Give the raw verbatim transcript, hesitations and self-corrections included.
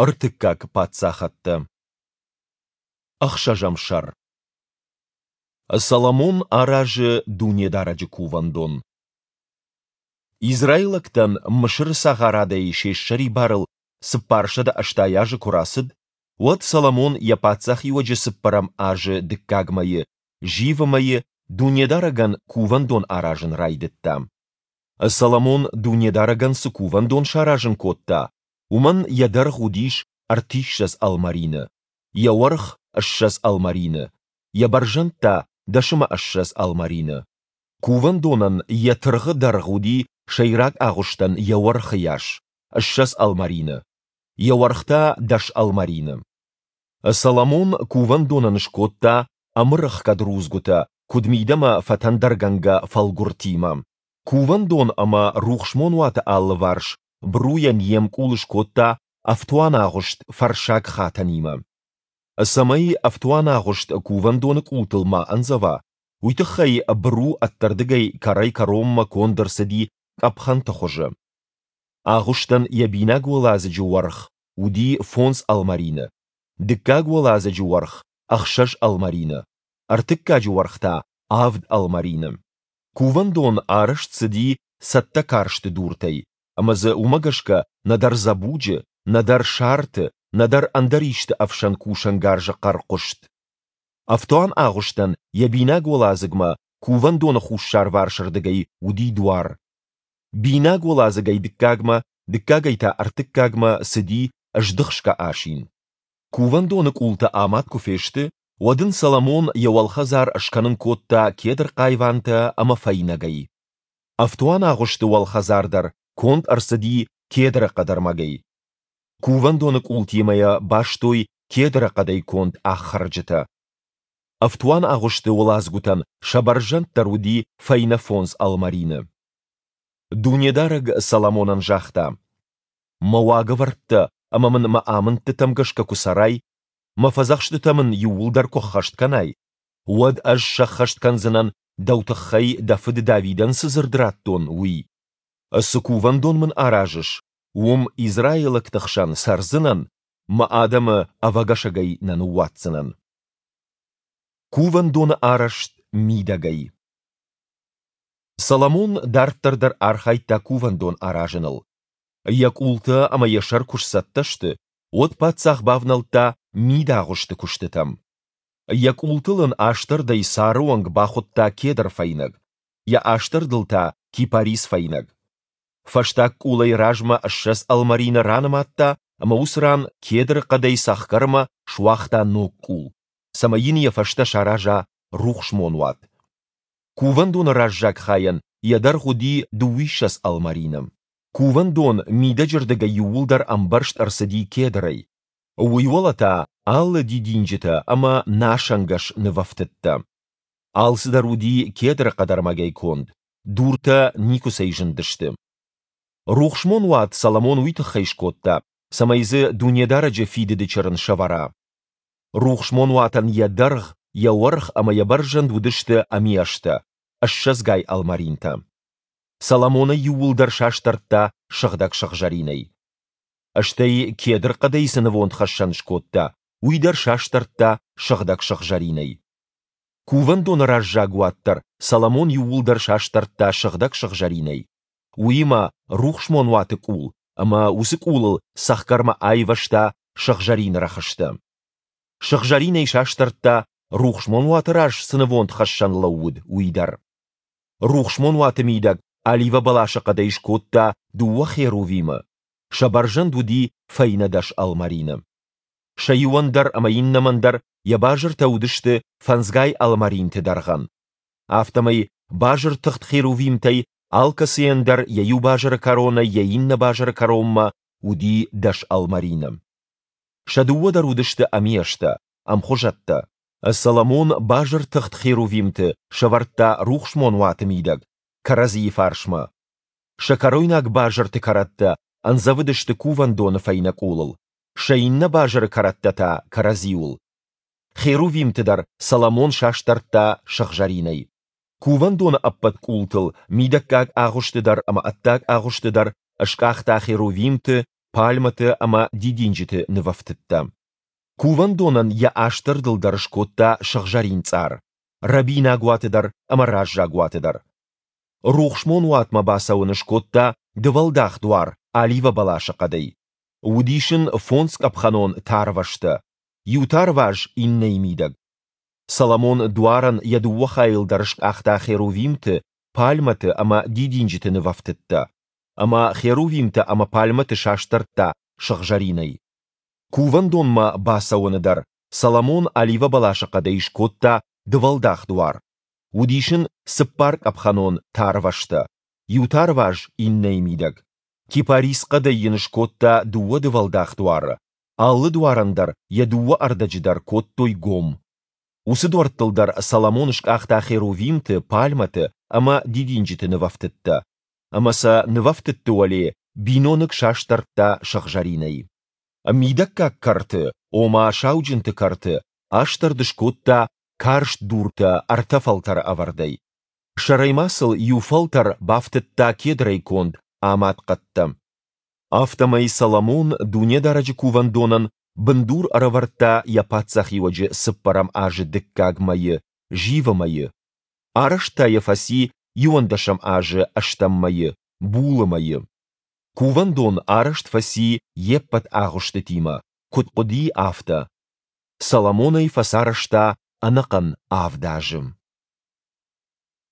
Ӕртыккаг паддзахӕдтӕ. Ӕхсӕзӕм сӕр. Соломон аразы Дунедарӕджы Кувӕндон. Израилӕгтӕн Мысыры цагъарадӕй се ссӕрибарыл цыппарсӕдӕ ӕстай азы куы рацыд, уӕд Соломон йӕ паддзахиуӕджы цыппӕрӕм азы дыккаг мӕйы, зивы мӕйы, Дунедарӕгӕн Кувӕндон аразын райдыдта. Соломон Дунедарӕгӕн цы Кувӕндон саразын кодта, уымӕн йӕ дӕргъ уыдис ӕртиссӕдз ӕлмӕрины, йӕ уӕрх – ссӕдз ӕлмӕрины, йӕ бӕрзӕнд та – дӕс ӕмӕ ссӕдз ӕлмӕрины. Кувӕндонӕн йӕ тыргъы дӕргъ уыди сӕйраг агъуыстӕн йӕ уӕрхы йас – ссӕдз ӕлмӕрины, йӕ уӕрх та – дӕс ӕлмӕрины. Соломон Кувӕндонӕн скодта ӕмырӕхгӕд рудзгуытӕ куыд мидӕмӕ фӕтӕндӕргӕнгӕ фӕлгуыртимӕ. Кувӕндон ӕмӕ Рухсмонуаты алыварс бруйӕн йе мкъул скодта ӕфтуанагъуыст фӕрссаг хатӕнимӕ. Цӕмӕй ӕфтуанагъуыст кувӕндоны къултыл ма ӕндзӕва, уый тыххӕй быру ӕддӕрдыгӕй кӕрӕй-кӕронмӕ конд ӕрцыди къӕпхӕнты хуызы. Агъуыстӕн йӕ бинаг уӕладзыджы уӕрх уыди фондз ӕлмӕрины, дыккаг уӕладзыджы уӕрх – ӕхсӕз ӕлмӕрины, ӕртыккаджы уӕрх та – авд ӕлмӕрины. Кувӕндон арӕзт цыди цӕттӕ карсты дуртӕй, ӕмӕ дзы уымӕ гӕсгӕ нӕдӕр дзӕбуджы, нӕдӕр сарты, нӕдӕр ӕндӕр исты ӕфсӕн кусӕнгарзы хъӕр хъуыст. Ӕфтуан агъуыстӕн йӕ бинаг уӕладзыгмӕ кувӕндоны хуссарварсырдыгӕй уыди дуар. Бинаг уӕладзыгӕй дыккагмӕ, дыккагӕй та ӕртыккагмӕ цыди здыхсгӕ асин. Кувӕндоны къултӕ амад куы фесты, уӕд ын Соломон йӕ уӕлхӕдзар скӕнын кодта кедр хъайвантӕ ӕмӕ фӕйнӕгӕй. Ӕфтуанагъуысты уӕлхӕдзар дӕр конд ӕрцыди кедры хъӕдӕрмӕгӕй. Кувӕндоны къултимӕ йӕ бастой кедры хъӕдӕй конд аххӕрджытӕ. Ӕфтуанагъуысты уӕладзгуытӕн сӕ бӕрзӕнд дӕр уыди фӕйнӕ фондз ӕлмӕрины. Дунедарӕг Соломонӕн загъта: «Мӕ уагӕвӕрдтӕ ӕмӕ мын мӕ амындтытӕм гӕсгӕ куы цӕрай, мӕ фӕдзӕхстытӕ мын иууылдӕр куы ӕххӕст кӕнай, уӕд ӕз сӕххӕст кӕндзынӕн дӕу тыххӕй дӕ фыд Давидӕн цы дзырд радтон, уый. Цы кувӕндон мын аразыс, уым израилӕгты хсӕн цӕрдзынӕн, мӕ адӕмы ӕвӕгӕсӕгӕй нӕ ныууадздзынӕн». Кувӕндоны арӕзт мидӕгӕй. Соломон дарддӕр дӕр архайдта кувӕндон аразыныл. Йӕ къултӕ ӕмӕ йӕ сӕр куы сцӕттӕ сты, уӕд паддзах бавнӕлдта мидагъуысты куыстытӕм. Йӕ къултыл ын астӕрдӕй цары онг бахуыдта кедр фӕйнӕг, йӕ астӕрдыл та кипарис фӕйнӕг. Фӕстаг къулӕй размӕ ссӕдз ӕлмӕрины ранымадта ӕмӕ уыцы ран кедры хъӕдӕй цӕхгӕрмӕ суагъта ног къул, цӕмӕй йын йӕ фӕстӕ сараза рухсмонуат. Кувӕндоны раззаг хайӕн йӕ дӕргъ уыди дыууиссӕдз ӕлмӕрины. Кувӕндон мидӕджырдыгӕй иууылдӕр ӕмбӕрзт ӕрцыди кедрӕй. Уый уӕлӕ та алы дидинджытӕ ӕмӕ насӕнгӕс нывӕфтыдтӕ. Алцыдӕр уыди кедры хъӕдӕрмӕгӕй конд, дуртӕ никуыцӕй зындысты. Рухсмонуат Соломон уый тыххӕй скодта, цӕмӕй дзы Дунедарӕджы Фидыды Чырын сӕвӕра. Рухсмонуатӕн йӕ дӕргъ, йӕ уӕрх ӕмӕ йӕ бӕрзӕнд уыдысты ӕмиӕстӕ, ссӕдзгай ӕлмӕринтӕ. Соломон ӕй иууылдӕр састӕрдта сыгъдӕг сыгъзӕринӕй. Стӕй кедр хъӕдӕй цы нывондхӕссӕн скодта, уый дӕр састӕрдта сыгъдӕг сыгъзӕринӕй. Кувӕндоны раззаг уат дӕр Соломон иууылдӕр састӕрдта сыгъдӕг сыгъзӕринӕй, уыимӕ рухсмонуаты къул ӕмӕ уыцы къулыл цӕхгӕрмӕ айвӕзта сыгъзӕрин рӕхыстӕ. Сыгъзӕринӕй састӕрдта, рухсмонуаты раз цы нывондхӕссӕн лӕууыд, уый дӕр. Рухсмонуаты мидӕг оливӕ бӕласы хъӕдӕй скодта дыууӕ херувимы, сӕ бӕрзӕнд уыди фӕйнӕ дӕс ӕлмӕрины. Сӕ иуӕн дӕр ӕмӕ иннӕмӕн дӕр йӕ базыртӕ уыдысты фӕндзгай ӕлмӕринты дӕргъӕн. Афтӕмӕй базыртыхт херувимтӕй алкӕцыйӕн дӕр йӕ иу базыры кӕронӕй йӕ иннӕ базыры кӕронмӕ уыди дӕс ӕлмӕрины. Сӕ дыууӕ дӕр уыдысты ӕмиӕстӕ, ӕмхуызӕттӕ. Соломон базыртыхт херувимты сӕвӕрдта рухсмонуаты мидӕг, кӕрӕдзийы фарсмӕ. Сӕ кӕройнаг базырты кӕрӕттӕ ӕндзӕвыдысты кувӕндоны фӕйнӕ къулыл, сӕ иннӕ базыры кӕрӕттӕ та кӕрӕдзиуыл. Херувимты дӕр Соломон састӕрдта сыгъзӕринӕй. Кувӕндоны ӕппӕт къултыл, мидӕггаг агъуысты дӕр ӕмӕ ӕддаг агъуысты дӕр, скъахта херувимты, пальмӕты ӕмӕ дидинджыты нывӕфтыдтӕ. Кувӕндонӕн йӕ астӕрдыл дӕр скодта сыгъзӕрин цъар, рӕбинаг уаты дӕр ӕмӕ раззаг уаты дӕр. Рухсмон уатмӕ бацӕуӕны скодта дывӕлдах дуар оливӕ бӕласы хъӕдӕй. Уыдис ын фондзкъӕпхӕнон тарвӕзтӕ, иу тарваз иннӕйы мидӕг. Соломон дуарӕн йӕ дыууӕ хайыл дӕр скъахта херувимты, пальмӕты ӕмӕ дидинджыты нывӕфтыдтӕ, ӕмӕ херувимтӕ ӕмӕ пальмӕты састӕрдта сыгъзӕринӕй. Кувӕндонмӕ бацӕуӕны дӕр Соломон оливӕбӕласы хъӕдӕй скодта дывӕлдах дуар. Уыдис ын цыппаркъӕпхӕнон тарвӕзтӕ, иу тарваз иннӕйы мидӕг. Кипарис хъӕдӕй йын скодта дыууӕ дывӕлдах дуары, алы дуарӕн дӕр йӕ дыууӕ ӕрдӕджы дӕр кодтой гом. Уыцы дуӕрттыл дӕр Соломон скъахта херувимты, пальмӕты ӕмӕ дидинджыты нывӕфтыдтӕ, ӕмӕ сӕ нывӕфтыдты уӕле биноныг састӕрдта сыгъзӕринӕй. Мидӕггаг кӕрты, ома сауджынты кӕрты, астӕрд скодта карст дуртӕ ӕртӕ фӕлтӕры ӕвӕрдӕй. Сӕрӕй ма сыл иу фӕлтӕр бафтыдта кедрӕй конд амад хъӕдтӕ. Афтӕмӕй Соломон Дунедарӕджы Кувӕндонӕн бындур ӕрӕвӕрдта йӕ паддзахиуӕджы цыппӕрӕм азы дыккаг мӕйы, зивы мӕйы. Арӕзт та йӕ фӕци иуӕндӕсӕм азы ӕстӕм мӕйы, булы мӕйы. Кувӕндон арӕзт фӕци йе ппӕт агъуыстытимӕ, куыд хъуыди, афтӕ. Соломон ӕй фӕцарӕзта ӕнӕхъӕн авд азы.